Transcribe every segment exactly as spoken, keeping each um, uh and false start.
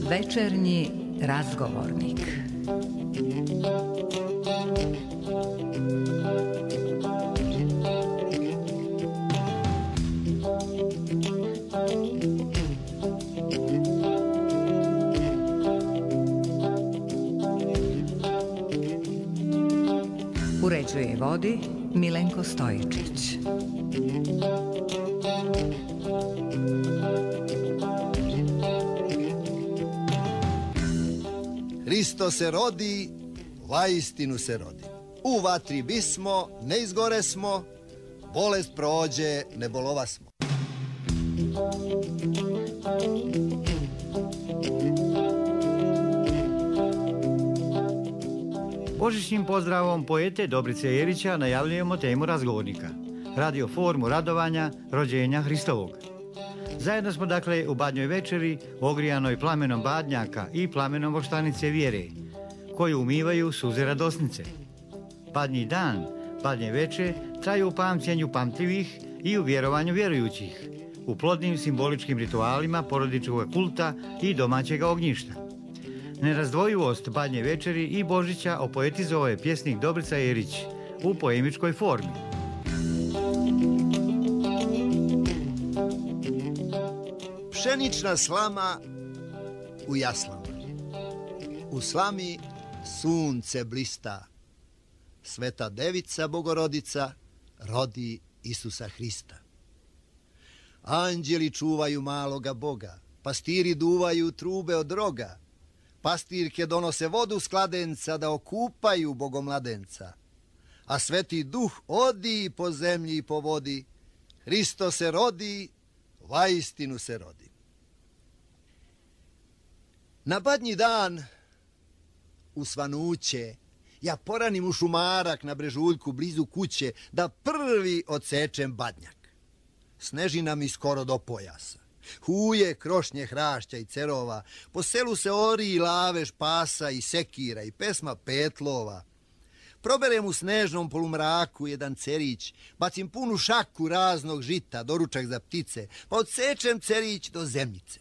Večernji razgovornik. Uređuje i vodi Milenko Stojičić. Hristo se rodi, vaistinu se rodi. U vatri bismo, ne izgore smo, bolest prođe, ne bolova smo. Božićnim pozdravom poete Dobrice Jerića najavljujemo temu razgovornika. Radio formu radovanja rođenja Hristovog. Zajedno smo dakle u Badnjoj večeri, ogrijanoj plamenom badnjaka i plamenom voštanice vjere, koju umivaju suze radosnice. Badnji dan, Badnje veče traju u pamćenju pamtljivih i u vjerovanju vjerujućih, u plodnim simboličkim ritualima porodičkog kulta i domaćeg ognjišta. Nerazdvojivost Badnje večeri i Božića opoetizovao je pjesnik Dobrica Jerić u poemičkoj formi. Pšenična slama u jaslama. U slami sunce blista. Sveta devica Bogorodica rodi Isusa Hrista. Anđeli čuvaju maloga Boga, pastiri duvaju trube od roga, pastirke donose vodu s kladenca da okupaju bogomladenca, a sveti duh odi po zemlji i po vodi, Hristo se rodi, vaistinu se rodi. Na Badnji dan, u svanuće, ja poranim u šumarak na brežuljku blizu kuće da prvi odsečem badnjak. Snežina mi skoro do pojasa. Huje, krošnje hrašća i cerova, po selu se ori i lavež pasa i sekira i pesma petlova. Proberem u snežnom polumraku jedan cerić, bacim punu šaku raznog žita, doručak za ptice, pa odsečem cerić do zemljice.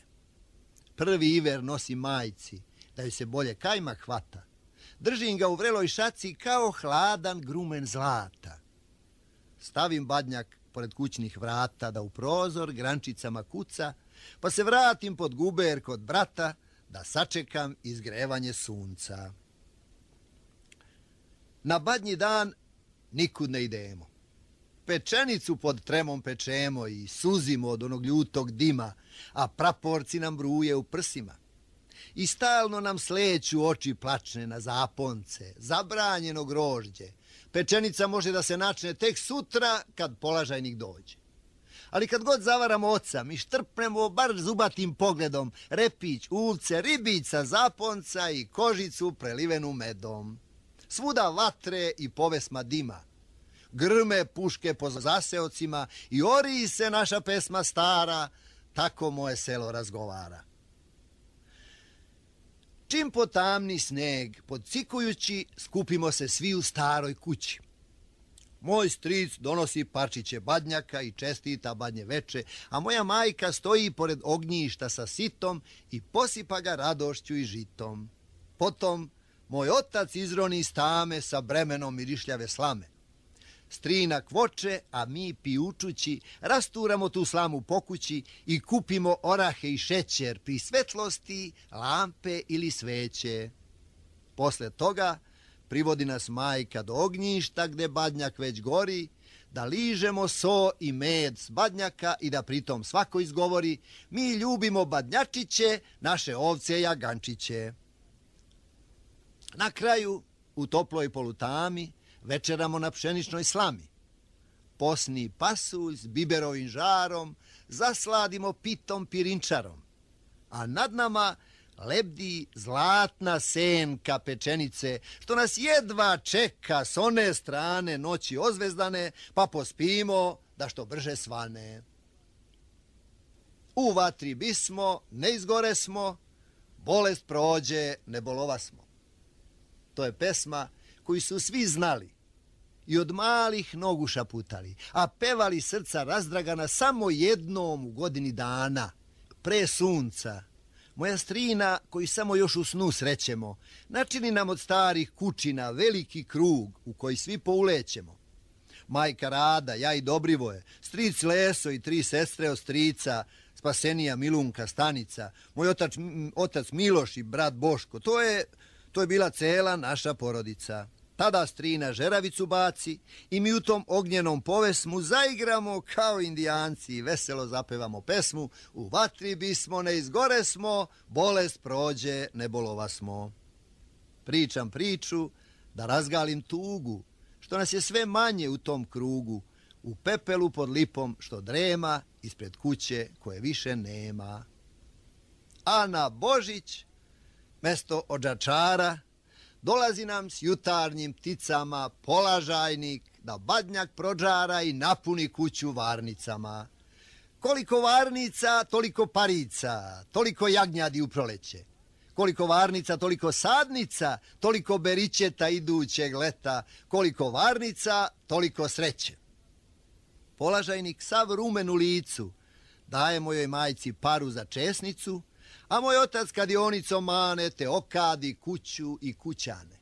Prvi iver nosim majci, da joj se bolje kajmak hvata. Držim ga u vreloj šaci kao hladan grumen zlata. Stavim badnjak pored kućnih vrata da u prozor grančicama kuca, pa se vratim pod guber kod brata da sačekam izgrevanje sunca. Na Badnji dan nikud ne idemo. Pečenicu pod tremom pečemo i suzimo od onog ljutog dima, a praporci nam bruje u prsima. I stalno nam sleću oči plačne na zaponce, zabranjeno grožđe. Pečenica može da se načne tek sutra kad polažajnik dođe. Ali kad god zavaramo oca, mi štrpnemo bar zubatim pogledom repić, uvce, ribica, zaponca i kožicu prelivenu medom. Svuda vatre i povesma dima. Grme puške po zaseocima i ori se naša pesma stara, tako moje selo razgovara. Čim potamni sneg, podcikujući, skupimo se svi u staroj kući. Moj stric donosi parčiće badnjaka i čestita Badnje veče, a moja majka stoji pored ognjišta sa sitom i posipa ga radošću i žitom. Potom moj otac izroni iz tame sa bremenom mirišljave slame. Strina kvoče, a mi pijučući rasturamo tu slamu po kući i kupimo orahe i šećer pri svetlosti, lampe ili sveće. Posle toga privodi nas majka do ognjišta gde badnjak već gori, da ližemo so i med s badnjaka i da pritom svako izgovori: mi ljubimo badnjačiće, naše ovce jagančiće. Na kraju, u toploj polutami, večeramo na pšeničnoj slami. Posni pasulj s biberovim žarom zasladimo pitom pirinčarom, a nad nama lebdi zlatna senka pečenice, što nas jedva čeka s one strane noći ozvezdane, pa pospimo da što brže svane. U vatri bismo, ne izgore smo, bolest prođe, ne bolova smo. To je pesma koju su svi znali i od malih nogu šaputali, a pevali srca razdragana samo jednom u godini dana, pre sunca. Moja strina, koju samo još u snu srećemo, načini nam od starih kućina veliki krug u koji svi poulećemo. Majka Rada, ja i Dobrivoje, stric Leso i tri sestre od strica, Spasenija, Milunka, Stanica, moj otac, otac Miloš i brat Boško, to je, to je bila cela naša porodica. Tada strina žeravicu baci i mi u tom ognjenom povesmu zaigramo kao indijanci i veselo zapevamo pesmu U vatri bismo, ne izgore smo, bolest prođe, ne bolova smo. Pričam priču da razgalim tugu, što nas je sve manje u tom krugu, u pepelu pod lipom što drema ispred kuće koje više nema. A na Božić, mesto odžačara, dolazi nam s jutarnjim pticama polažajnik da badnjak prođara i napuni kuću varnicama. Koliko varnica, toliko parica, toliko jagnjadi u proleće. Koliko varnica, toliko sadnica, toliko beričeta idućeg leta. Koliko varnica, toliko sreće. Polažajnik sav rumen u licu daje mojoj majci paru za česnicu, a moj otac kadionicom mane te okadi kuću i kućane.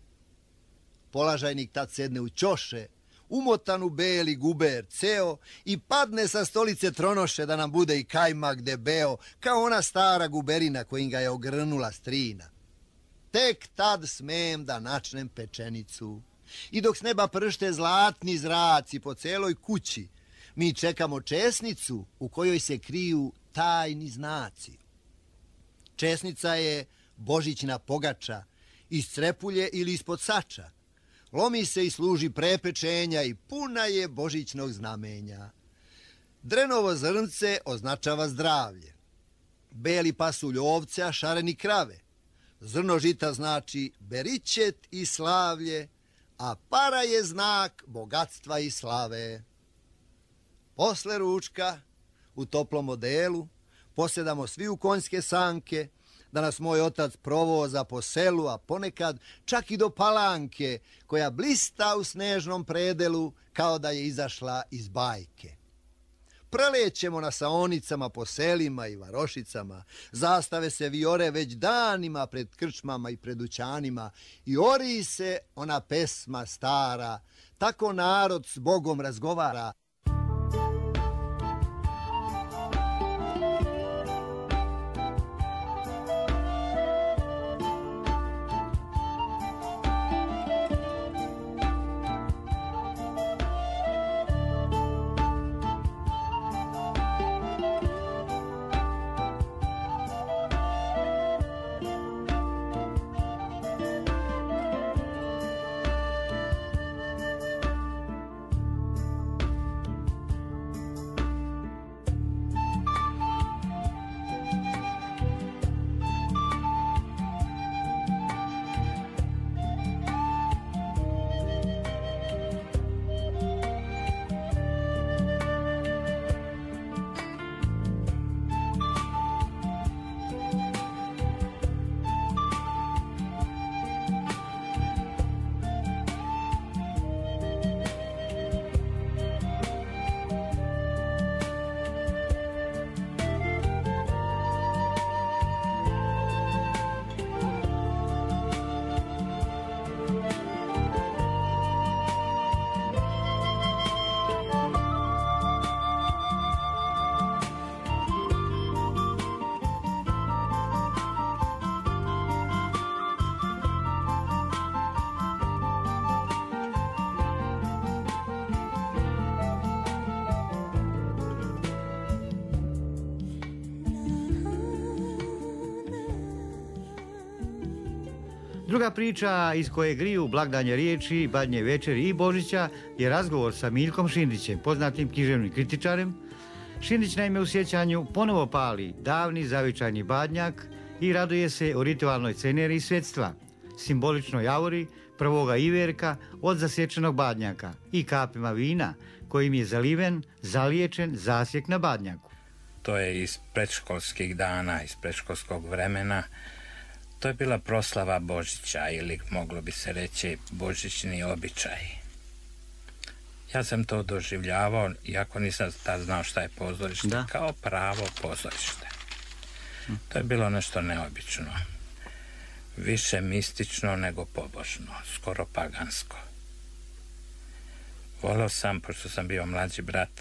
Polažajnik tad sedne u ćoše, umotan u beli guber ceo i padne sa stolice tronoše da nam bude i kajmak debeo, kao ona stara guberina kojim ga je ogrnula strina. Tek tad smem da načnem pečenicu i dok s neba pršte zlatni zraci po celoj kući, mi čekamo česnicu u kojoj se kriju tajni znaci. Česnica je božićna pogača, iz crepulje ili ispod sača. Lomi se i služi prepečenja i puna je božićnog znamenja. Drenovo zrnce označava zdravlje. Beli pasulj ovce, a šareni krave. Zrno žita znači beričet i slavlje, a para je znak bogatstva i slave. Posle ručka, u toplom odelu, posjedamo svi u konjske sanke, da nas moj otac provoza po selu, a ponekad čak i do Palanke, koja blista u snežnom predelu kao da je izašla iz bajke. Prelećemo na saonicama po selima i varošicama, zastave se viore već danima pred krčmama i pred dućanima i ori se ona pesma stara, tako narod s Bogom razgovara. Druga priča iz koje griju blagdanje riječi, badnje večeri i Božića je razgovor sa Miljkom Šindićem, poznatim književnim kritičarem. Šindić naime u sjećanju ponovo pali davni zavičajni badnjak i raduje se o ritualnoj ceneriji svetstva, simboličnoj auri prvoga iverka od zasječenog badnjaka i kapima vina kojim je zaliven, zaliječen zasjek na badnjaku. To je iz predškolskih dana, iz predškolskog vremena. To je bila proslava Božića ili moglo bi se reći božićni običaj. Ja sam to doživljavao, iako nisam tad znao šta je pozorište, Da. kao pravo pozorište. To je bilo nešto neobično. Više mistično nego pobožno, skoro pagansko. Voleo sam, pošto sam bio mlađi brat,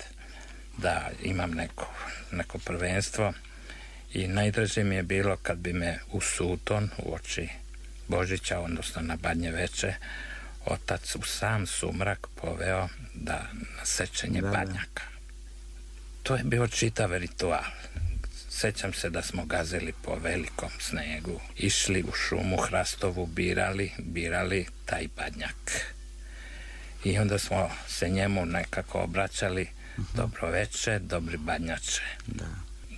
da imam neko, neko prvenstvo i najdraže mi je bilo kad bi me u suton, u oči Božića, odnosno na Badnje veče, otac u sam sumrak poveo da na sečenje Da, da. badnjaka. To je bio čitav ritual. Sećam se da smo gazili po velikom snegu, išli u šumu hrastovu, birali, birali taj badnjak. I onda smo se njemu nekako obraćali, dobro veče, dobri badnjače. Da.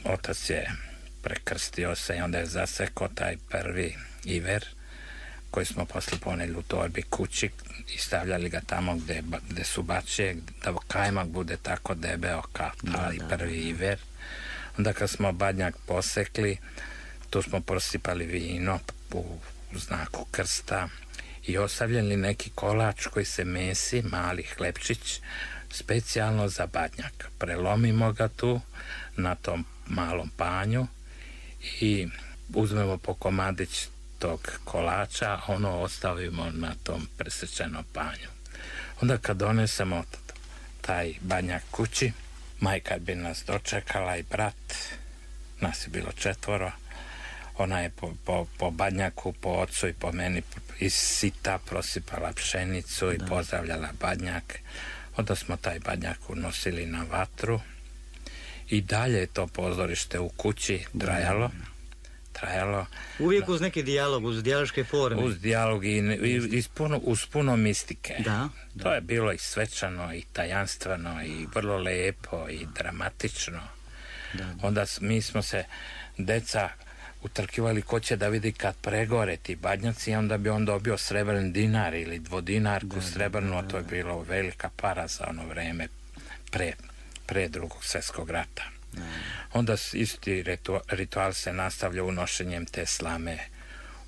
Otac je prekrstio se i onda je zasekao taj prvi iver, koji smo posle poneli u torbi kući i stavljali ga tamo gde, gde su bačije, da kajmak bude tako debeo kao taj da, prvi iver. Onda kad smo badnjak posekli, tu smo prosipali vino u znaku krsta i ostavljali neki kolač koji se mesi, mali hlebčić, specijalno za badnjak. Prelomimo ga tu na tom malom panju i uzmemo po komadić tog kolača, ono ostavimo na tom presečenom panju. Onda kad donesemo taj badnjak kući, majka bi nas dočekala i brat, nas je bilo četvoro, ona je po, po, po badnjaku, po ocu i po meni iz sita prosipala pšenicu i da. pozdravljala badnjak. Onda smo taj badnjak unosili na vatru i dalje je to pozorište u kući trajalo. trajalo. Uvijek uz neki dijalog, uz dijaloške forme. Uz dijalog i, i, i puno, uz puno mistike. Da, da. To je bilo i svečano, i tajanstveno, i vrlo lepo, i dramatično. Da, da. Onda mi smo se, deca, utrkivali ko će da vidi kad pregore ti badnjaci i onda bi on dobio srebrni dinar ili dvodinarku Da, srebrnu, da, a da, to je da. bilo velika para za ono vreme pre, pre drugog svjetskog rata. Da. Onda isti ritu, ritual se nastavlja unošenjem te slame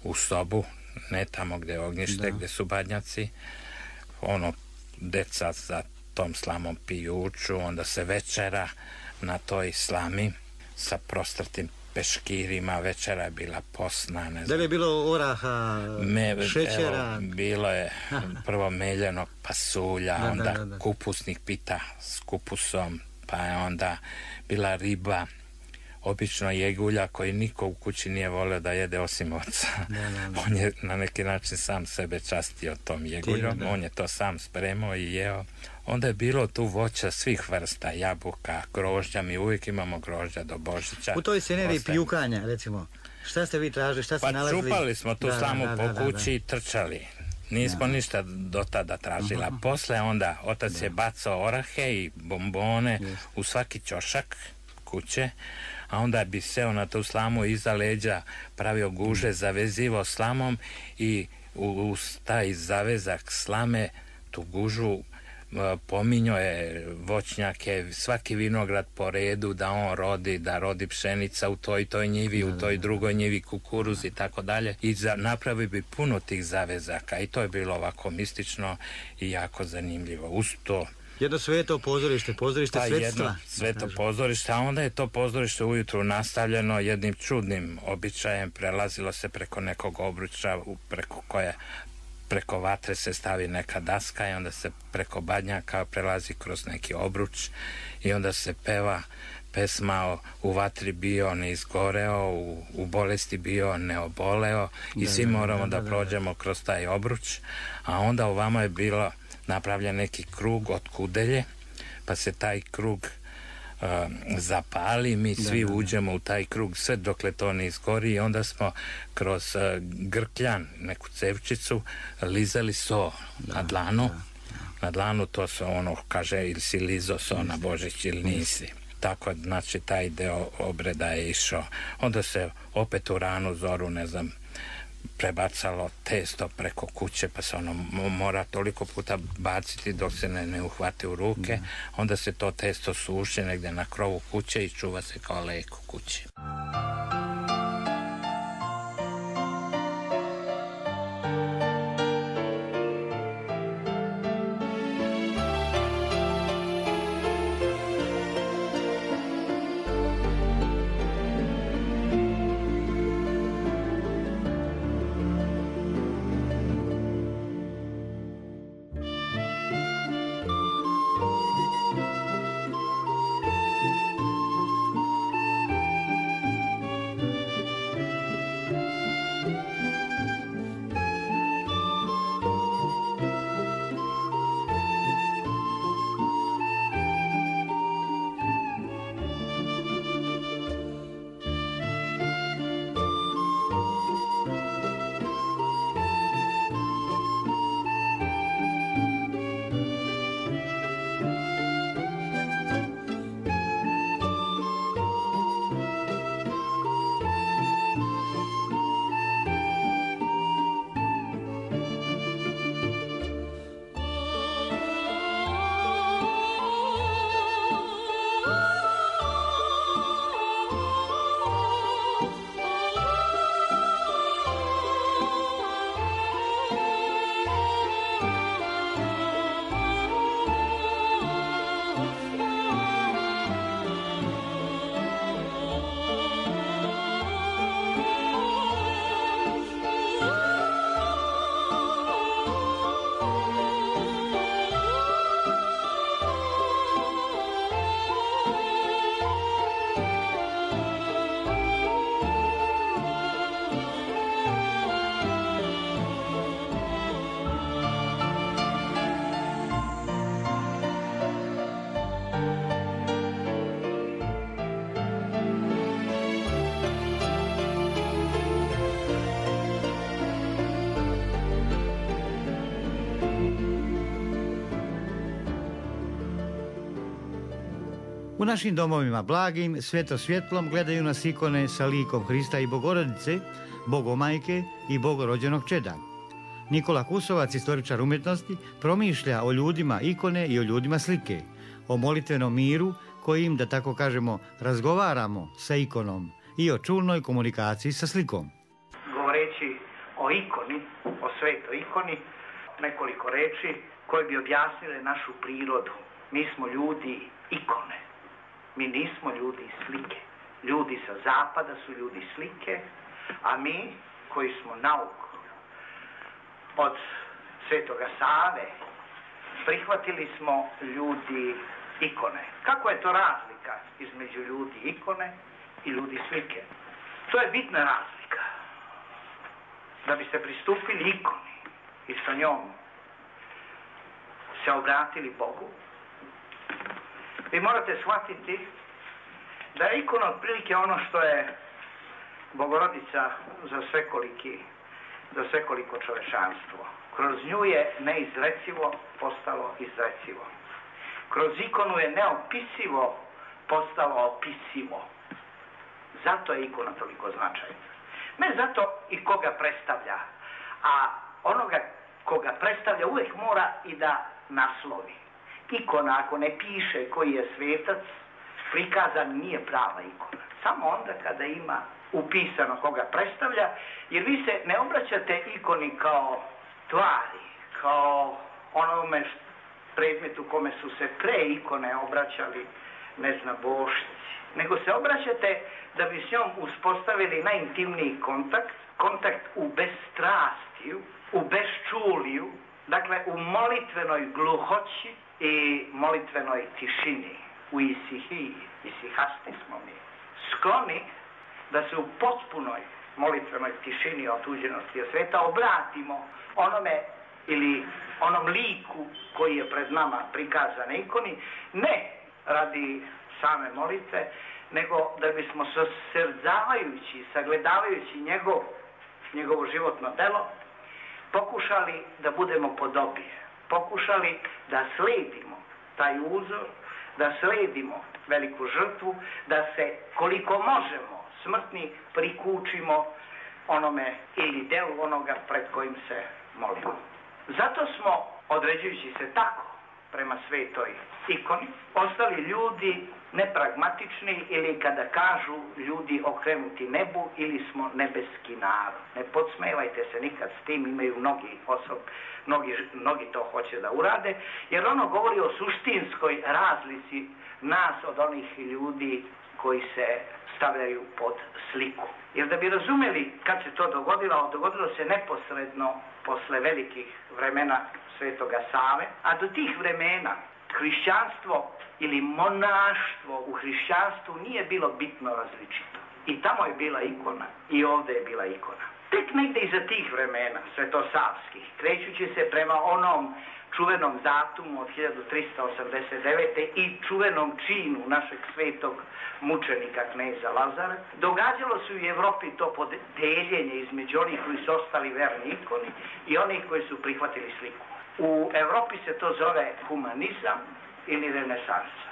u sobu, ne tamo gde je ognjište, Da. gde su badnjaci. Ono, deca za tom slamom pijuču, onda se večera na toj slami sa prostrtim peškirima, večera je bila posna, ne Da znam. li je bilo oraha, Me, šećera? Evo, bilo je prvo meljenog pasulja, Da, da, onda da, da. kupusnih pita s kupusom, pa je onda bila riba, obično jegulja koji niko u kući nije volio da jede osim oca. Da, da, da. On je na neki način sam sebe častio tom jeguljom, Time, da. on je to sam spremao i jeo. Onda je bilo tu voća svih vrsta, jabuka, grožđa, mi uvijek imamo grožđa do Božića. U toj sceneriji Ostaje- pijukanja, recimo, šta ste vi tražili, šta ste Pa nalazili? čupali smo tu Da, slamu da, po da, da, kući i trčali. Nismo Da. ništa do tada tražila. Posle onda otac je bacao orahe i bombone u svaki ćošak kuće, a onda bi seo na tu slamu iza leđa, pravio guže, zavezivao slamom i uz taj zavezak slame tu gužu pominjao je voćnjake, svaki vinograd po redu da on rodi, da rodi pšenica u toj toj njivi, u toj drugoj njivi kukuruz i tako dalje. I za, napravi bi puno tih zavezaka i to je bilo ovako mistično i jako zanimljivo. Uz to Jedno sveto pozorište, pozorište pa svetstva. jedno sveto pozorište, a onda je to pozorište ujutru nastavljeno jednim čudnim običajem, prelazilo se preko nekog obruča, preko koje preko vatre se stavi neka daska i onda se preko badnjaka prelazi kroz neki obruč i onda se peva pesma u vatri bio ne izgoreo, u, u bolesti bio ne oboleo i Da, svi da, moramo da, da, da, da. prođemo kroz taj obruč, a onda ovamo je bilo napravljen neki krug od kudelje, pa se taj krug uh, zapali, mi svi da, da. uđemo u taj krug sve dokle to ne izgori i onda smo kroz uh, grkljan, neku cevčicu, lizali so na dlanu. Na dlanu to se ono kaže ili si lizo so na Božić ili nisi. Tako, znači, taj deo obreda je išao. Onda se opet u ranu zoru, ne znam, prebacalo testo preko kuće, pa se ono mora toliko puta baciti dok se ne, ne uhvate u ruke. Onda se to testo suši negde na krovu kuće i čuva se kao lek u kući. U našim domovima blagim, sveto svjetlom gledaju nas ikone sa likom Hrista i Bogorodice, Bogomajke i Bogorođenog čeda. Nikola Kusovac, istoričar umjetnosti, promišlja o ljudima ikone i o ljudima slike, o molitvenom miru kojim, da tako kažemo, razgovaramo sa ikonom i o čulnoj komunikaciji sa slikom. Govoreći o ikoni, o svetoj ikoni, nekoliko reči koje bi objasnile našu prirodu. Mi smo ljudi ikone. Mi nismo ljudi slike. Ljudi sa zapada su ljudi slike, a mi koji smo nauku od Svetoga Save prihvatili smo ljudi ikone. Kako je to razlika između ljudi ikone i ljudi slike? To je bitna razlika. Da biste pristupili ikoni i sa njom se obratili Bogu, vi morate shvatiti da je ikona otprilike ono što je Bogorodica za svekoliki, za svekoliko čovečanstvo. Kroz nju je neizrecivo postalo izrecivo. Kroz ikonu je neopisivo postalo opisivo. Zato je ikona toliko značajna. Ne zato i koga predstavlja, a onoga koga predstavlja uvijek mora i da naslovi. Ikona, ako ne piše koji je svetac, prikazan nije prava ikona. Samo onda kada ima upisano koga predstavlja, jer vi se ne obraćate ikoni kao tvari, kao onome predmetu kome su se pre ikone obraćali, ne znam, bošci, nego se obraćate da bi s njom uspostavili najintimniji kontakt, kontakt u bezstrastiju, u bezčuliju, dakle u molitvenoj gluhoći i molitvenoj tišini, u isihiji, isihasti smo mi, skloni da se u potpunoj molitvenoj tišini otuđenosti od sveta obratimo onome ili onom liku koji je pred nama prikazan na ikoni, ne radi same molitve, nego da bismo sosrdzavajući, sagledavajući njegov, njegovo životno delo, pokušali da budemo podobije, pokušali da sledimo taj uzor, da sledimo veliku žrtvu, da se koliko možemo smrtni prikučimo onome ili delu onoga pred kojim se molimo. Zato smo, određujući se tako prema svetoj ikoni, ostali ljudi nepragmatični ili kada kažu ljudi okrenuti nebu ili smo nebeski narod. Ne podsmevajte se nikad s tim, imaju mnogi osob, mnogi, mnogi to hoće da urade, jer ono govori o suštinskoj razlici nas od onih ljudi koji se stavljaju pod sliku. Jer da bi razumeli kad se to dogodilo, dogodilo se neposredno posle velikih vremena Svetoga Save, a do tih vremena hrišćanstvo ili monaštvo u hrišćanstvu nije bilo bitno različito. I tamo je bila ikona i ovdje je bila ikona. Tek negdje iza tih vremena svetosavskih, krećući se prema onom čuvenom datumu od hiljadu trista osamdeset devete. i čuvenom činu našeg svetog mučenika kneza Lazara, događalo se u Evropi to podeljenje između onih koji su ostali verni ikoni i onih koji su prihvatili sliku. U Evropi se to zove humanizam ili renesansa.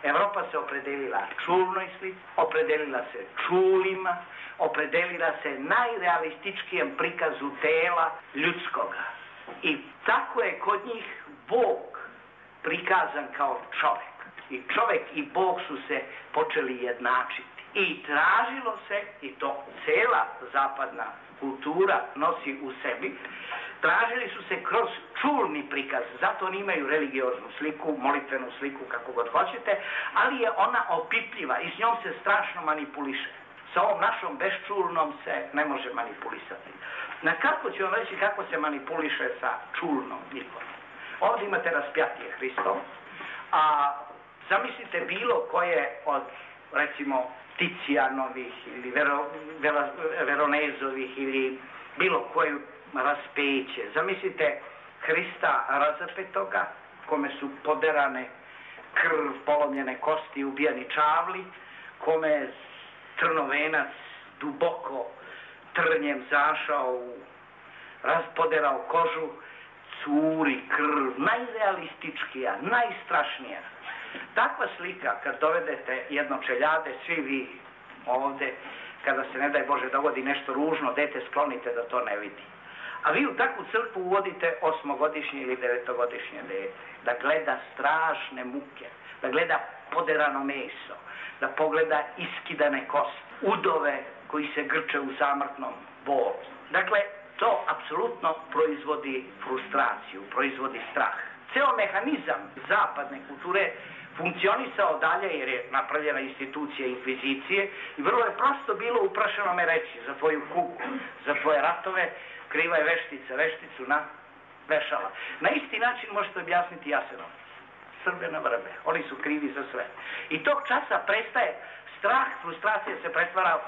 Evropa se opredelila čulnoj slici, opredelila se čulima, opredelila se najrealističkijem prikazu tela ljudskoga. I tako je kod njih Bog prikazan kao čovjek. I čovjek i Bog su se počeli jednačiti. I tražilo se, i to cela zapadna kultura nosi u sebi, tražili su se kroz čulni prikaz, zato oni imaju religioznu sliku, molitvenu sliku, kako god hoćete, ali je ona opipljiva i s njom se strašno manipuliše. Sa ovom našom bezčulnom se ne može manipulisati. Na kako ću vam reći kako se manipuliše sa čulnom ikonom? Ovdje imate raspjatije Hristov, a zamislite bilo koje od, recimo, Ticijanovih ili Vero, Vero, Veronezovih ili bilo koju raspeće. Zamislite Hrista razapetoga, kome su poderane krv, polomljene kosti, ubijani čavli, kome je trnovenac duboko trnjem zašao, u, raspoderao kožu, curi krv, najrealističkija, najstrašnija. Takva slika, kad dovedete jednočeljade, svi vi ovde, kada se, ne daj Bože, dogodi nešto ružno, dete sklonite da to ne vidi. A vi u takvu crkvu uvodite osmogodišnje ili devetogodišnje dete, da gleda strašne muke, da gleda poderano meso, da pogleda iskidane kosti, udove koji se grče u zamrtnom bolu. Dakle, to apsolutno proizvodi frustraciju, proizvodi strah. Ceo mehanizam zapadne kulture funkcionisao dalje jer je napravljena institucija inkvizicije i vrlo je prosto bilo uprašeno me reći za tvoju kugu, za tvoje ratove, kriva je veštica, vešticu na vešala. Na isti način možete objasniti Jasenovac. Srbe na vrbe, oni su krivi za sve. I tog časa prestaje strah, frustracija se pretvara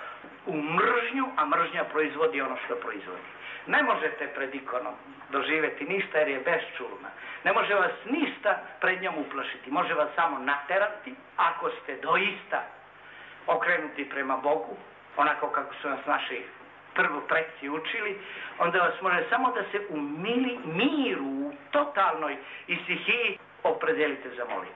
u mržnju, a mržnja proizvodi ono što proizvodi. Ne možete pred ikonom doživjeti ništa jer je besčulna. Ne može vas ništa pred njom uplašiti. Može vas samo naterati ako ste doista okrenuti prema Bogu, onako kako su nas naši prvo predci učili, onda vas može samo da se u mili, miru, u totalnoj isihiji opredelite za molitvu.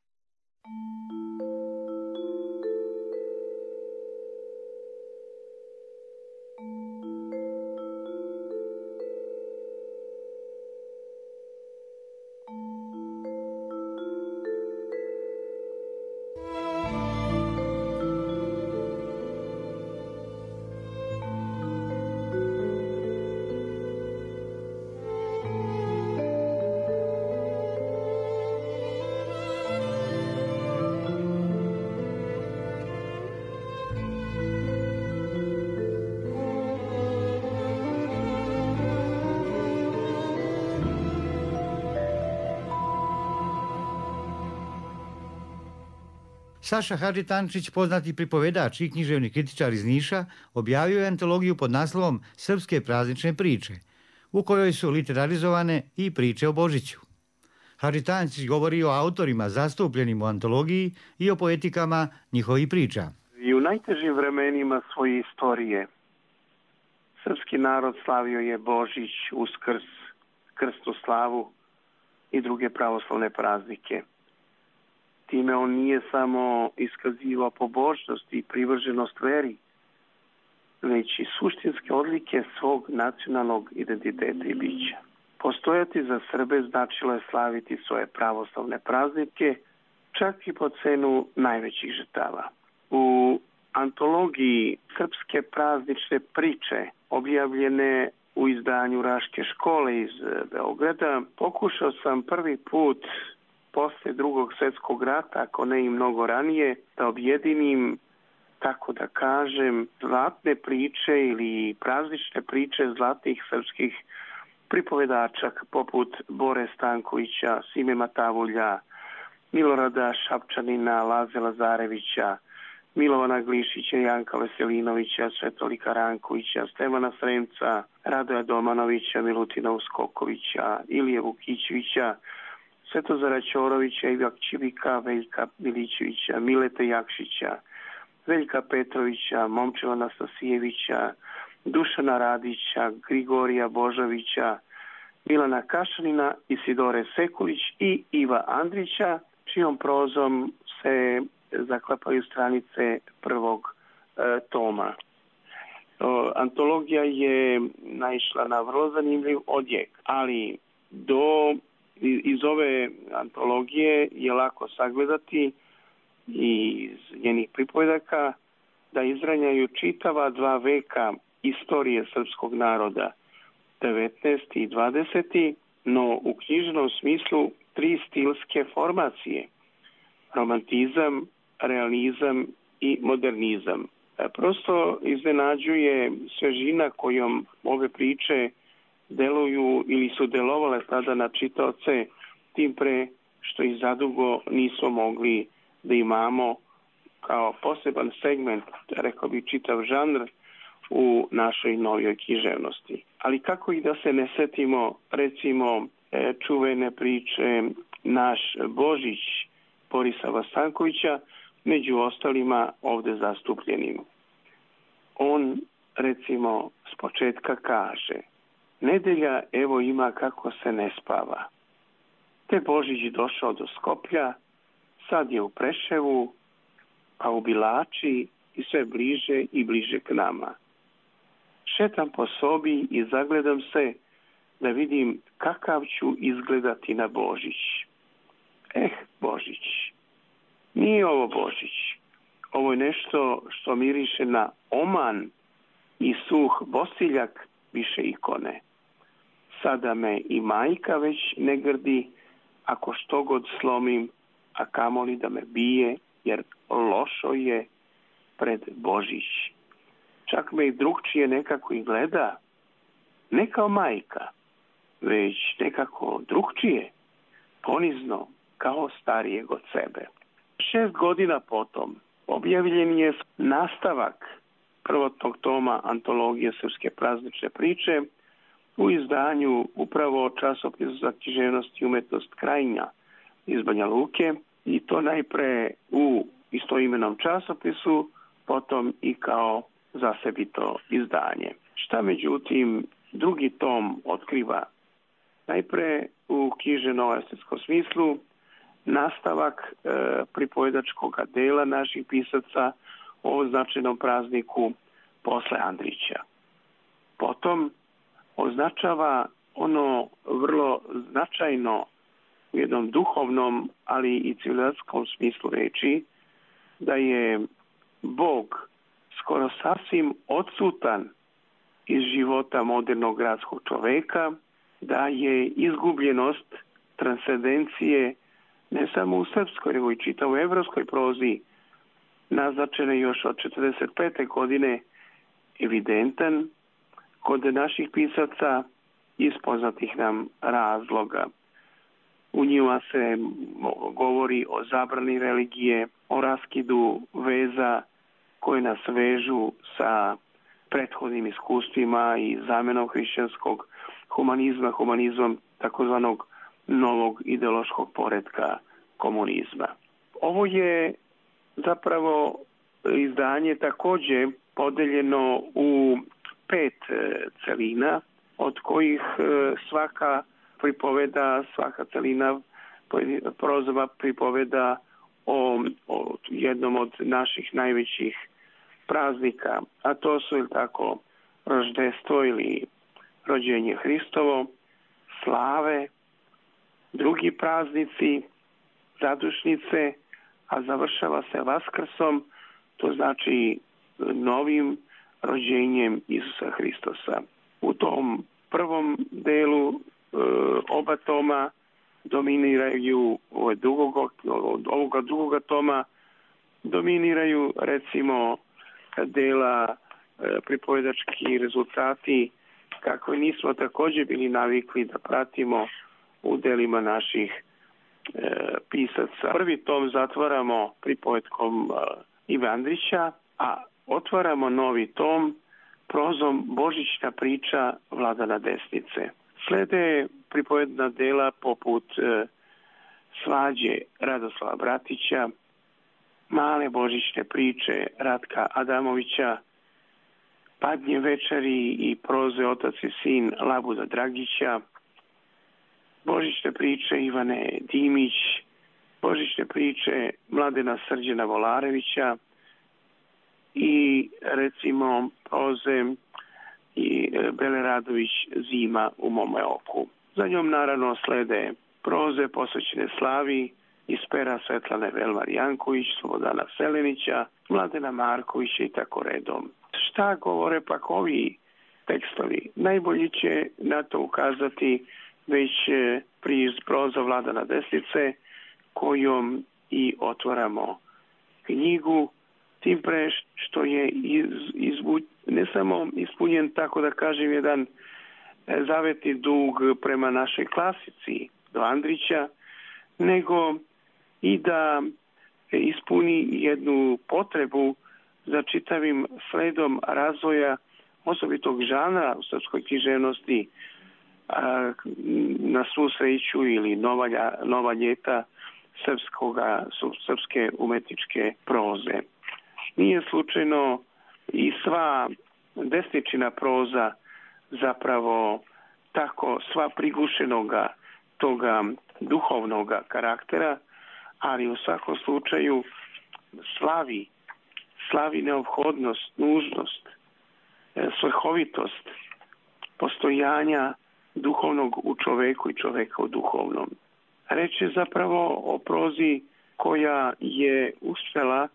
Saša Hadži Tančić, poznati pripovedač i književni kritičar iz Niša, objavio je antologiju pod naslovom Srpske praznične priče, u kojoj su literarizovane i priče o Božiću. Hadži Tančić govori o autorima zastupljenim u antologiji i o poetikama njihovih priča. I u najtežim vremenima svoje istorije srpski narod slavio je Božić, Uskrs, Krsnu slavu i druge pravoslavne praznike. Time on nije samo iskazivao pobožnost i privrženost veri, već i suštinske odlike svog nacionalnog identiteta i bića. Postojati za Srbe značilo je slaviti svoje pravoslavne praznike, čak i po cenu najvećih žrtava. U antologiji Srpske praznične priče, objavljene u izdanju Raške škole iz Beograda, pokušao sam prvi put posle drugog svjetskog rata, ako ne i mnogo ranije, da objedinim, tako da kažem, zlatne priče ili praznične priče zlatnih srpskih pripovedača poput Bore Stankovića, Sime Matavulja, Milorada Šapčanina, Laze Lazarevića, Milovana Glišića, Janka Veselinovića, Svetolika Rankovića, Stevana Sremca, Radoja Domanovića, Milutina Uskokovića, Ilije Vukićevića, Svetozara Ćorovića, Ivak Čibika, Veljka Milićevića, Milete Jakšića, Veljka Petrovića, Momčeva Nastasijevića, Dušana Radića, Grigorija Božovića, Milana Kašanina, Isidore Sekulić i Iva Andrića, čijom prozom se zaklapaju stranice prvog e, toma. O, antologija je naišla na vrlo zanimljiv odjek, ali do iz ove antologije je lako sagledati i iz njenih pripovedaka da izranjaju čitava dva veka istorije srpskog naroda, devetnaesti i dvadeseti, no u knjižnom smislu tri stilske formacije, romantizam, realizam i modernizam. Prosto iznenađuje svežina kojom ove priče deluju ili su delovale tada na čitaoce, tim pre što ih zadugo nismo mogli da imamo kao poseban segment, rekao bi čitav žanr, u našoj novijoj književnosti. Ali kako i da se ne setimo, recimo, čuvene priče Naš Božić Borisa Vastankovića, među ostalima ovde zastupljenim. On, recimo, s početka kaže: nedelja evo ima kako se ne spava. Te Božić došao do Skoplja, sad je u Preševu, a u Bilači i sve bliže i bliže k nama. Šetam po sobi i zagledam se da vidim kakav ću izgledati na Božić. Eh, Božić. Nije ovo Božić. Ovo je nešto što miriše na oman i suh bosiljak više ikone. Sada me i majka već ne grdi, ako što god slomim, a kamoli da me bije, jer lošo je pred Božić. Čak me i drugčije nekako i gleda, ne kao majka, već nekako drugčije, ponizno, kao starijeg od sebe. Šest godina potom objavljen je nastavak prvotnog toma antologije srpske praznične priče u izdanju upravo časopisa za književnost i umetnost Krajina iz Banja Luke, i to najpre u istoimenom časopisu, potom i kao zasebito izdanje. Šta međutim drugi tom otkriva? Najpre u književno-estetskom smislu nastavak e, pripovedačkog dela naših pisaca o značajnom prazniku posle Andrića. Potom označava ono vrlo značajno u jednom duhovnom, ali i civilizacijskom smislu reči, da je Bog skoro sasvim odsutan iz života modernog gradskog čoveka, da je izgubljenost transcendencije ne samo u srpskoj, nego i čitavoj evropskoj prozi naznačena još od četrdeset pete godine evidentan kod naših pisaca iz poznatih nam razloga. U njima se govori o zabrani religije, o raskidu veza koje nas vežu sa prethodnim iskustvima i zamenom hrišćanskog humanizma, humanizmom takozvanog novog ideološkog poretka komunizma. Ovo je zapravo izdanje također podeljeno u pet celina, od kojih svaka pripoveda, svaka celina prozova pripoveda o, o jednom od naših najvećih praznika, a to su ili tako roždestvo ili rođenje Hristovo, slave, drugi praznici, zadušnice, a završava se Vaskrsom, to znači novim rođenjem Isusa Hristosa. U tom prvom delu e, oba toma dominiraju od drugog, od ovoga drugoga toma dominiraju recimo dela e, pripovedački rezultati kako nismo također bili navikli da pratimo u delima naših e, pisaca. Prvi tom zatvaramo pripovetkom e, Ive Andrića, a otvaramo novi tom prozom Božićna priča Vladana Desnice. Slede pripovedna dela poput e, Svađe Radoslava Bratića, Male božićne priče Ratka Adamovića, Padnje večeri i proze Otac i sin Labuda Dragića, Božićne priče Ivane Dimić, Božićne priče Mladena Srđana Volarevića i recimo proze i Bele Radović Zima u mome oku. Za njom naravno slede proze posvećene slavi iz pera Svetlane Velmar Janković, Slobodana Selenića, Mladena Markovića i tako redom. Šta govore pak ovi tekstovi? Najbolji će na to ukazati već priz proza Vladana Desnice, kojom i otvaramo knjigu, tim pre što je iz, izbu, ne samo ispunjen, tako da kažem, jedan zavetni dug prema našoj klasici do Andrića, nego i da ispuni jednu potrebu za čitavim sledom razvoja osobitog žanra u srpskoj književnosti, a, na svu sreću ili nova, nova ljeta srpskoga, srpske umetničke proze. Nije slučajno i sva desničina proza zapravo tako sva prigušenoga toga duhovnoga karaktera, ali u svakom slučaju slavi, slavi neophodnost, nužnost, svrhovitost postojanja duhovnog u čoveku i čoveka u duhovnom. Reč je zapravo o prozi koja je uspjela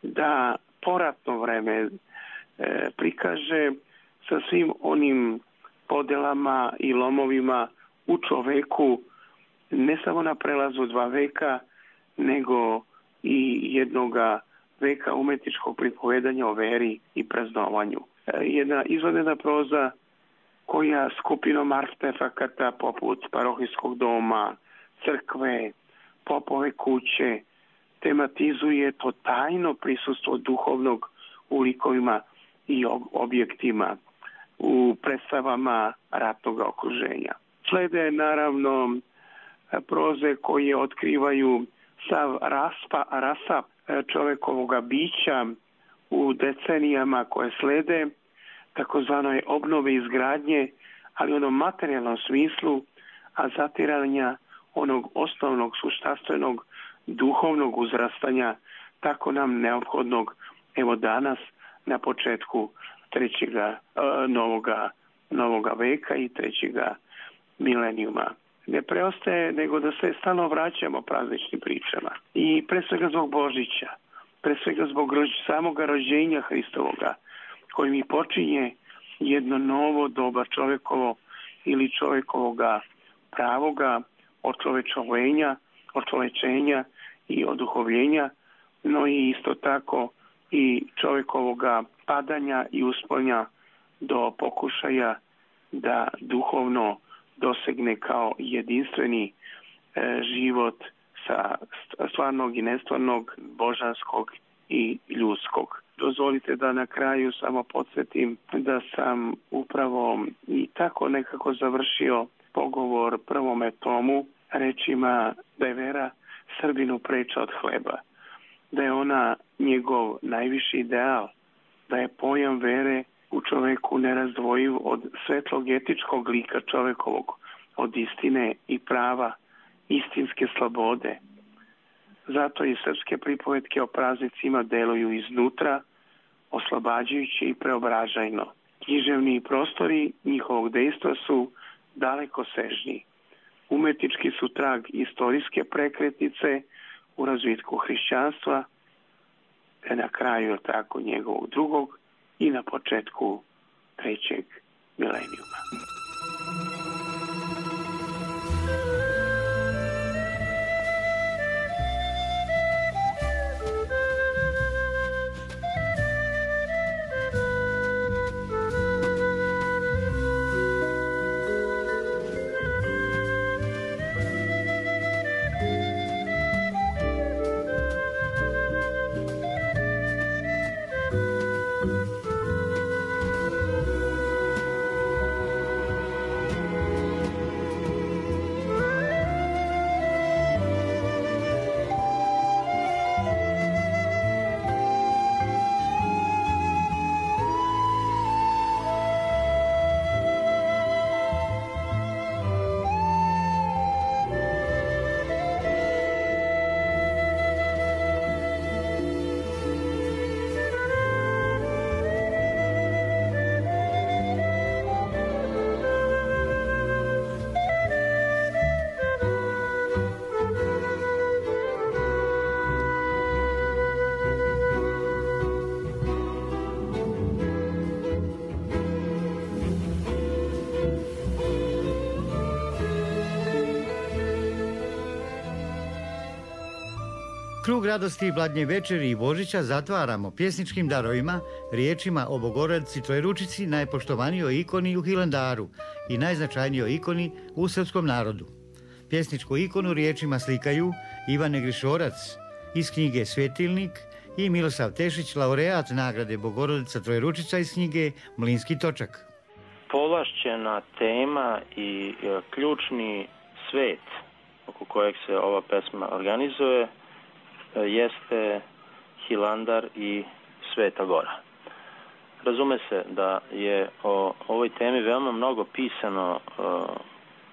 da poratno vreme e, prikaže sa svim onim podelama i lomovima u čoveku, ne samo na prelazu dva veka, nego i jednoga veka umetničkog pripovedanja o veri i praznovanju. E, jedna izvanredna proza koja skupinom artefakata poput parohijskog doma, crkve, popove kuće, tematizuje to tajno prisustvo duhovnog u likovima i objektima, u predstavama ratnog okruženja. Slede naravno proze koje otkrivaju sav raspa, rasap čovekovoga bića u decenijama koje slede, takozvanoj obnove izgradnje, ali u onom materijalnom smislu, a zatiranja onog osnovnog, suštanstvenog, duhovnog uzrastanja, tako nam neophodnog, evo danas, na početku trećega e, novoga, novoga veka i trećega milenijuma. Ne preostaje nego da se stalno vraćamo prazničnim pričama. I pre svega zbog Božića, pre svega zbog rođ, samoga rođenja Hristovoga, koji mi počinje jedno novo doba čovekovo ili čovekovoga pravoga očovečovenja, očovečenja i oduhovljenja, no i isto tako i čovjekovoga padanja i uspanja do pokušaja da duhovno dosegne kao jedinstveni e, život sa stvarnog i nestvarnog, božanskog i ljudskog. Dozvolite da na kraju samo podsjetim da sam upravo i tako nekako završio pogovor prvome tomu rečima da je vera Srbinu preča od hleba, da je ona njegov najviši ideal, da je pojam vere u čoveku nerazdvojiv od svetlog etičkog lika čovekovog, od istine i prava, istinske slobode. Zato i srpske pripovetke o praznicima deluju iznutra, oslobađajući i preobražajno. Književni prostori njihovog dejstva su daleko sežni. Umetnički su trag istorijske prekretnice u razvitku hrišćanstva, te na kraju tako njegovog drugog i na početku trećeg milenijuma. Krug radosti Bladnje večeri i Božića zatvaramo pjesničkim darovima, riječima o Bogorodici Trojeručici, najpoštovanijoj ikoni u Hilandaru i najznačajnijoj ikoni u srpskom narodu. Pjesničku ikonu riječima slikaju Ivane Grišorac iz knjige Svjetilnik i Milosav Tešić, laureat nagrade Bogorodica Trojeručica iz knjige Mlinski točak. Povlašćena tema i ključni svet oko kojeg se ova pesma organizuje jeste Hilandar i Sveta Gora. Razume se da je o ovoj temi veoma mnogo pisano uh,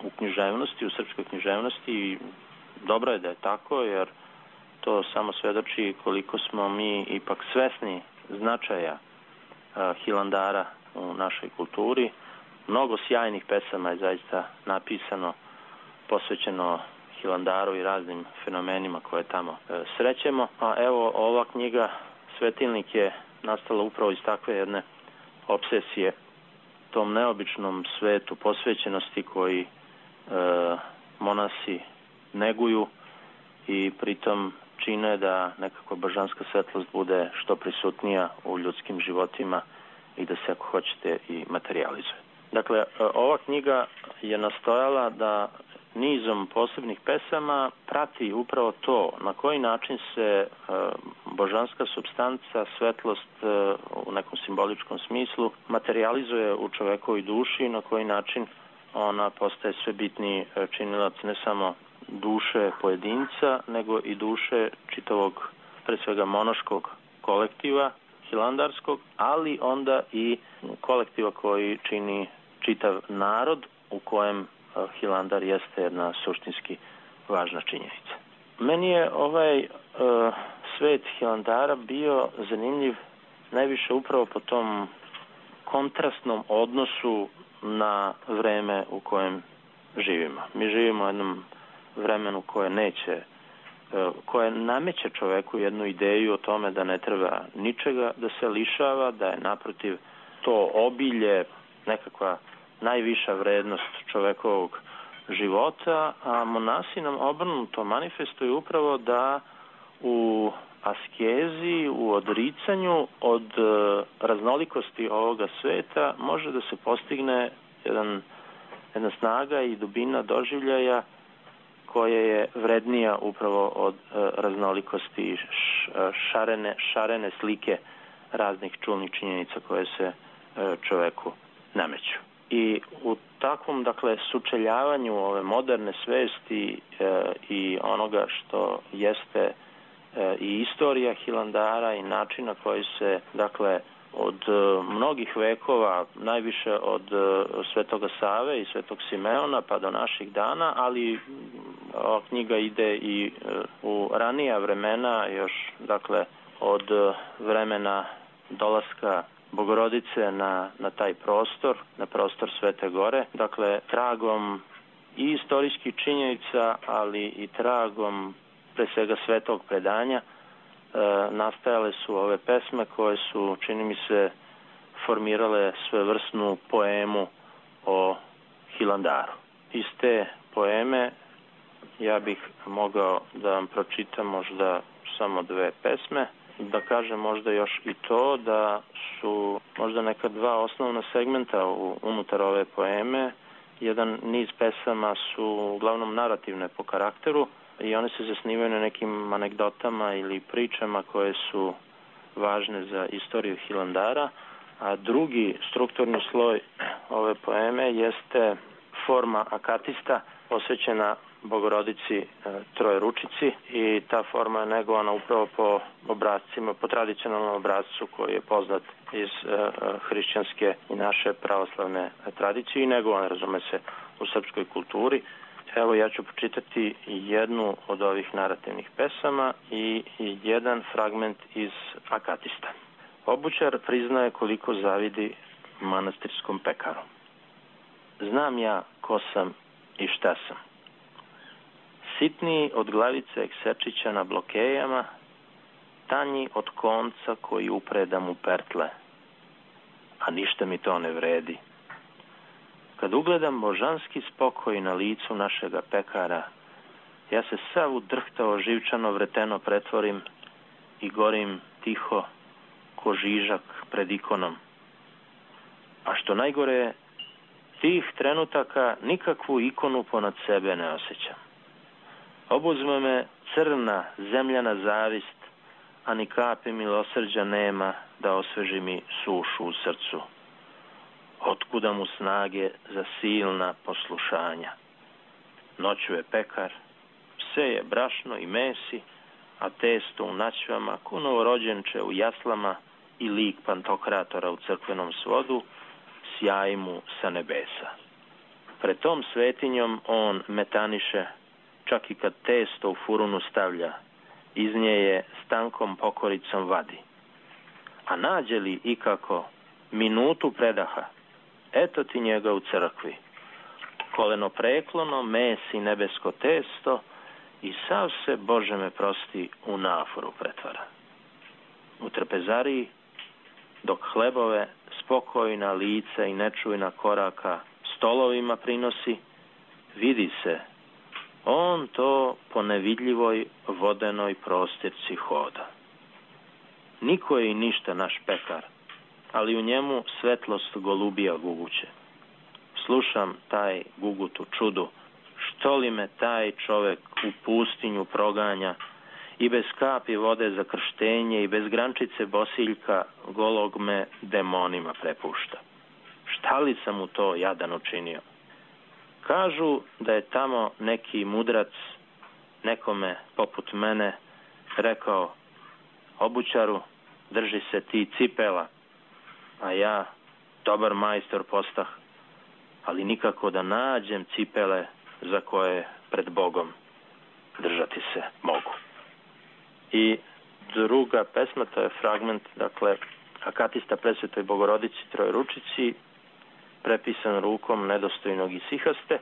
u književnosti, u srpskoj književnosti i dobro je da je tako, jer to samo svedoči koliko smo mi ipak svesni značaja Hilandara u našoj kulturi. Mnogo sjajnih pesama je zaista napisano, posvećeno Hilandaru i raznim fenomenima koje tamo srećemo. A evo, ova knjiga Svetilnik je nastala upravo iz takve jedne obsesije tom neobičnom svetu posvećenosti koji e, monasi neguju i pritom čine da nekako božanska svetlost bude što prisutnija u ljudskim životima i da se, ako hoćete, i materializuje. Dakle, ova knjiga je nastojala da nizom posebnih pesama prati upravo to na koji način se božanska supstanca, svetlost u nekom simboličkom smislu materializuje u čovekovoj duši, na koji način ona postaje sve bitniji činilac ne samo duše pojedinca, nego i duše čitavog, pre svega monaškog kolektiva hilandarskog, ali onda i kolektiva koji čini čitav narod u kojem Hilandar jeste jedna suštinski važna činjenica. Meni je ovaj uh, svet Hilandara bio zanimljiv najviše upravo po tom kontrastnom odnosu na vreme u kojem živimo. Mi živimo u jednom vremenu koje neće, uh, koje nameće čoveku jednu ideju o tome da ne treba ničega da se lišava, da je naprotiv to obilje nekakva najviša vrednost čovekovog života, a monasi nam obrnuto manifestuju upravo da u askezi, u odricanju od raznolikosti ovoga sveta može da se postigne jedan, jedna snaga i dubina doživljaja koja je vrednija upravo od raznolikosti šarene, šarene slike raznih čulnih činjenica koje se čoveku nameću. I u takvom, dakle, sučeljavanju ove moderne svesti e, i onoga što jeste e, i istorija Hilandara i način na koji se, dakle, od e, mnogih vekova, najviše od e, Svetoga Save i Svetog Simeona pa do naših dana, ali ova knjiga ide i e, u ranija vremena, još, dakle, od e, vremena dolaska Bogorodice na, na taj prostor, na prostor Svete Gore. Dakle, tragom i istorijskih činjenica, ali i tragom pre svega svetog predanja, e, nastajale su ove pesme koje su, čini mi se, formirale svevrsnu poemu o Hilandaru. Iz te poeme ja bih mogao da vam pročitam možda samo dve pesme. Da kažem možda još i to da su možda neka dva osnovna segmenta u, unutar ove poeme. Jedan niz pesama su uglavnom narativne po karakteru i one se zasnivaju na nekim anegdotama ili pričama koje su važne za istoriju Hilandara, a drugi strukturni sloj ove poeme jeste forma akatista posvećena Bogorodici e, Trojeručici i ta forma je negovana upravo po obrazcima, po tradicionalnom obrazcu koji je poznat iz e, hrišćanske i naše pravoslavne tradicije i negovan, razume se, u srpskoj kulturi. Evo ja ću počitati jednu od ovih narativnih pesama i, i jedan fragment iz Akatista. Obućar priznaje koliko zavidi manastirskom pekaru. Znam ja ko sam i šta sam. Sitniji od glavice eksečića na blokejama, tanji od konca koji upreda mu pertle, a ništa mi to ne vredi. Kad ugledam božanski spokoj na licu našega pekara, ja se sav udrhtao živčano vreteno pretvorim i gorim tiho ko žižak pred ikonom. A što najgore, tih trenutaka nikakvu ikonu ponad sebe ne osjećam. Obuzme me crna zemljana zavist, a ni kapi milosrđa nema da osveži mi sušu u srcu. Otkuda mu snage za silna poslušanja? Noću je pekar, pse je brašno i mesi, a testo u naćvama, ko novorođenče u jaslama i lik pantokratora u crkvenom svodu, sjaji mu sa nebesa. Pred tom svetinjom on metaniše, čak i kad testo u furunu stavlja, iz nje je s tankom pokoricom vadi. A nađe li ikako minutu predaha, eto ti njega u crkvi. Koleno preklono, mesi nebesko testo i sav se, Bože me prosti, u naforu pretvara. U trpezariji, dok hlebove spokojna lica i nečujna koraka stolovima prinosi, vidi se, on to po nevidljivoj vodenoj prostirci hoda. Niko je i ništa naš pekar, ali u njemu svetlost golubija guguće. Slušam taj gugutu čudu, što li me taj čovek u pustinju proganja i bez kapi vode za krštenje i bez grančice bosiljka golog me demonima prepušta. Šta li sam mu to jadan učinio? Kažu da je tamo neki mudrac nekome poput mene rekao: obućaru, drži se ti cipela, a ja dobar majstor postah, ali nikako da nađem cipele za koje pred Bogom držati se mogu. I druga pesma, to je fragment, dakle, Akatista presvetoj Bogorodici Trojeručici, prepisan rukom nedostojnog Isihaste.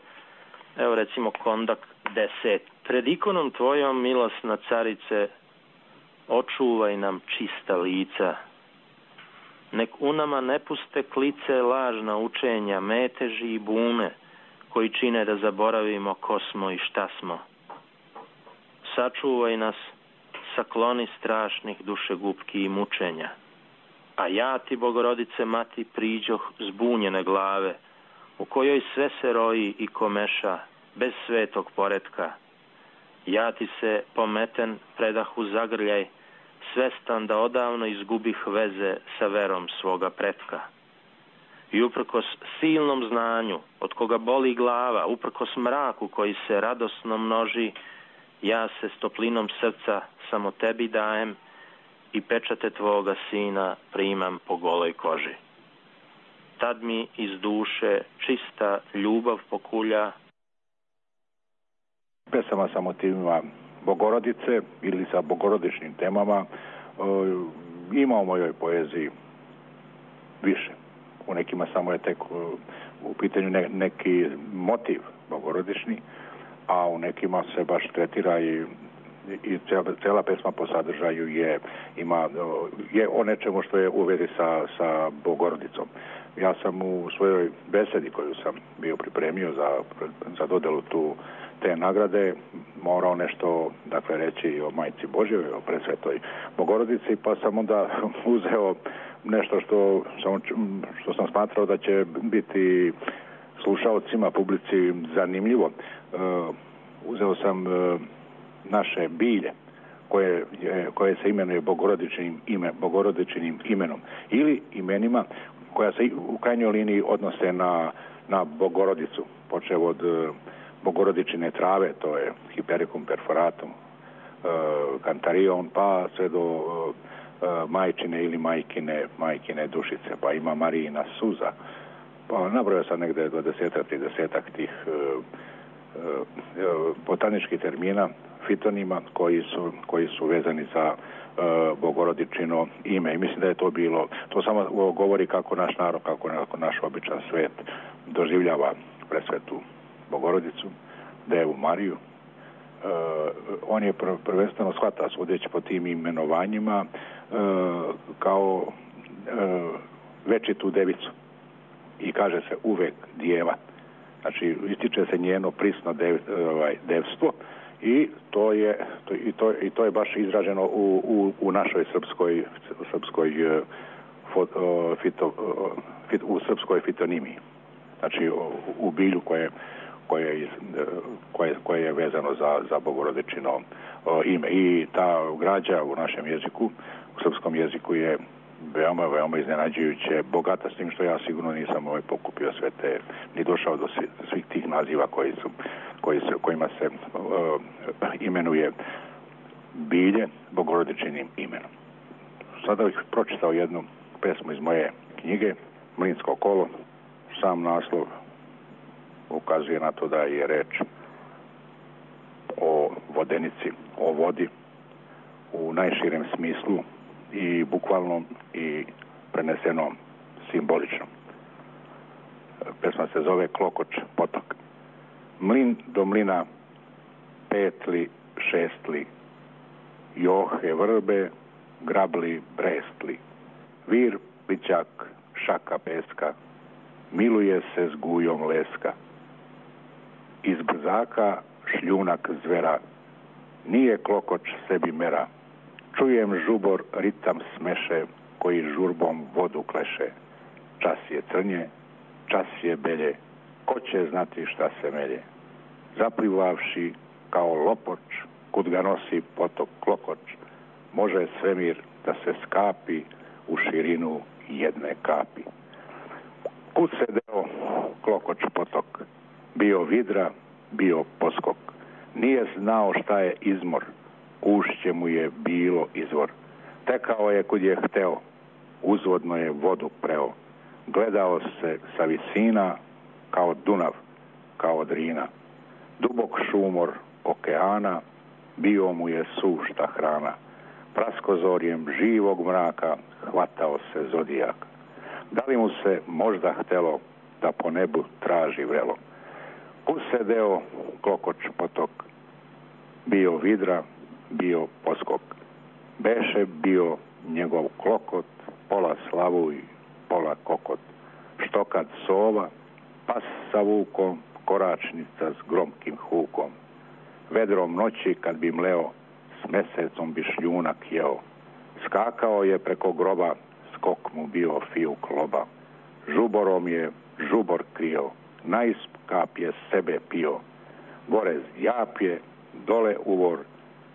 Evo recimo kondak deset. Pred ikonom tvojom, milosna carice, očuvaj nam čista lica. Nek u nama ne puste klice lažna učenja, meteži i bume, koji čine da zaboravimo ko smo i šta smo. Sačuvaj nas, sakloni strašnih dušegupki i mučenja. A ja ti, Bogorodice mati, priđoh zbunjene glave, u kojoj sve se roji i komeša, bez svetog poretka. Ja ti se, pometen, predah u zagrljaj, svestan da odavno izgubih veze sa verom svoga pretka. I uprkos silnom znanju, od koga boli glava, uprkos mraku koji se radosno množi, ja se s toplinom srca samo tebi dajem i pečate tvoga sina primam po goloj koži. Tad mi iz duše čista ljubav pokulja. Pesama sa motivima Bogorodice ili sa bogorodičnim temama ima u mojoj poeziji više. U nekima samo je tek u pitanju ne, neki motiv bogorodični, a u nekima se baš tretira i, i cijela, cijela pesma po sadržaju je, ima, je o nečemu što je u vezi sa, sa Bogorodicom. Ja sam u svojoj besedi koju sam bio pripremio za, za dodelu tu te nagrade morao nešto, dakle, reći o Majci Božjoj, o presvetoj Bogorodici, pa sam onda uzeo nešto što sam, što sam smatrao da će biti slušaocima, publici zanimljivo. Uh, uzeo sam uh, naše bilje koje, je, koje se imenuje bogorodičnim, ime, bogorodičnim imenom ili imenima koja se u krajnjoj liniji odnose na, na Bogorodicu, počev od uh, bogorodičine trave, to je Hypericum perforatum, uh, Cantarion, pa sve do uh, majčine ili majkine, majkine dušice, pa ima Marijina suza. Pa nabrojao sam negde dvadesetak, tridesetak tih uh, uh, botaničkih termina, fitonima koji su, koji su vezani za uh, bogorodičino ime. I mislim da je to bilo, to samo govori kako naš narod, kako, kako naš običan svet doživljava presvetu Bogorodicu, Devu Mariju. Uh, on je pr- prvenstveno shvata sudeći po tim imenovanjima uh, kao uh, večitu devicu i kaže se uvek djeva. Znači ističe se njeno prisno dev, ovaj, devstvo i to je to, i, to, i to je baš izraženo u, u, u našoj srpskoj srpskoj uh, fo, uh, fito, uh, fit, u srpskoj fitonimiji. Znači u, u bilju koje koje, koje, koje je vezano za, za bogorodičino ime. I ta građa u našem jeziku, u srpskom jeziku je veoma, veoma iznenađujuće bogata, s tim što ja sigurno nisam ovaj pokupio sve te, ni došao do svih tih naziva koji su, koji se, kojima se uh, imenuje bilje bogorodičinim imenom. Sada bih pročitao jednu pesmu iz moje knjige, Mlinsko kolo. Sam naslov ukazuje na to da je reč o vodenici, o vodi, u najširem smislu i bukvalnom i preneseno simbolično. Pesma se zove Klokoč potok. Mlin do mlina, petli, šestli, johe vrbe, grabli, brestli, vir, pićak, šaka peska, miluje se s gujom leska. Iz brzaka šljunak zvera, nije klokoč sebi mera. Čujem žubor, ritam smeše, koji žurbom vodu kleše. Čas je crnje, čas je belje, ko će znati šta se melje. Zaplivavši kao lopoč, kud ga nosi potok klokoč, može svemir da se skapi u širinu jedne kapi. Kud se deo klokoč potok, bio vidra, bio poskok. Nije znao šta je izmor, ušće mu je bilo izvor. Tekao je kud je hteo, uzvodno je vodu preo. Gledao se sa visina kao Dunav, kao Drina. Dubok šumor okeana, bio mu je sušta hrana. Praskozorjem živog mraka hvatao se zodijak. Da li mu se možda htelo da po nebu traži vrelo? Kud se deo klokoč potok, bio vidra, bio poskok. Beše bio njegov klokot, pola slavuj, pola kokot. Štokad sova, pas sa vukom, koračnica s gromkim hukom. Vedrom noći kad bi mleo, s mesecom bi šljunak jeo. Skakao je preko groba, skok mu bio fijuk loba. Žuborom je žubor krio, najskap je sebe pio. Gore japje, dole uvor,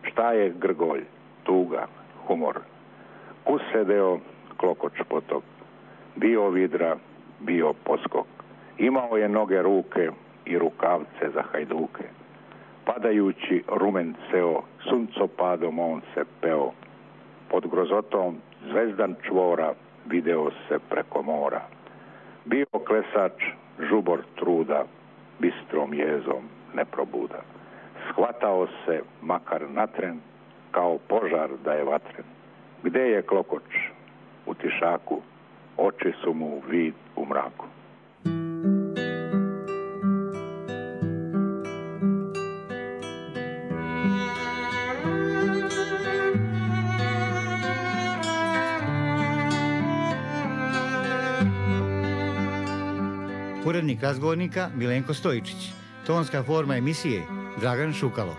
šta je grgolj, tuga, humor. Kud se deo klokoč potok, bio vidra, bio poskok. Imao je noge ruke i rukavce za hajduke. Padajući rumen ceo, suncopadom on se peo. Pod grozotom zvezdan čvora video se preko mora. Bio klesač, žubor truda, bistrom jezom ne probuda. Shvatao se makar natren, kao požar da je vatren. Gde je klokoč? U tišaku, oči su mu vid u mraku. Urednik razgovornika Milenko Stojičić. Tonska forma emisije Dragan Šukalo.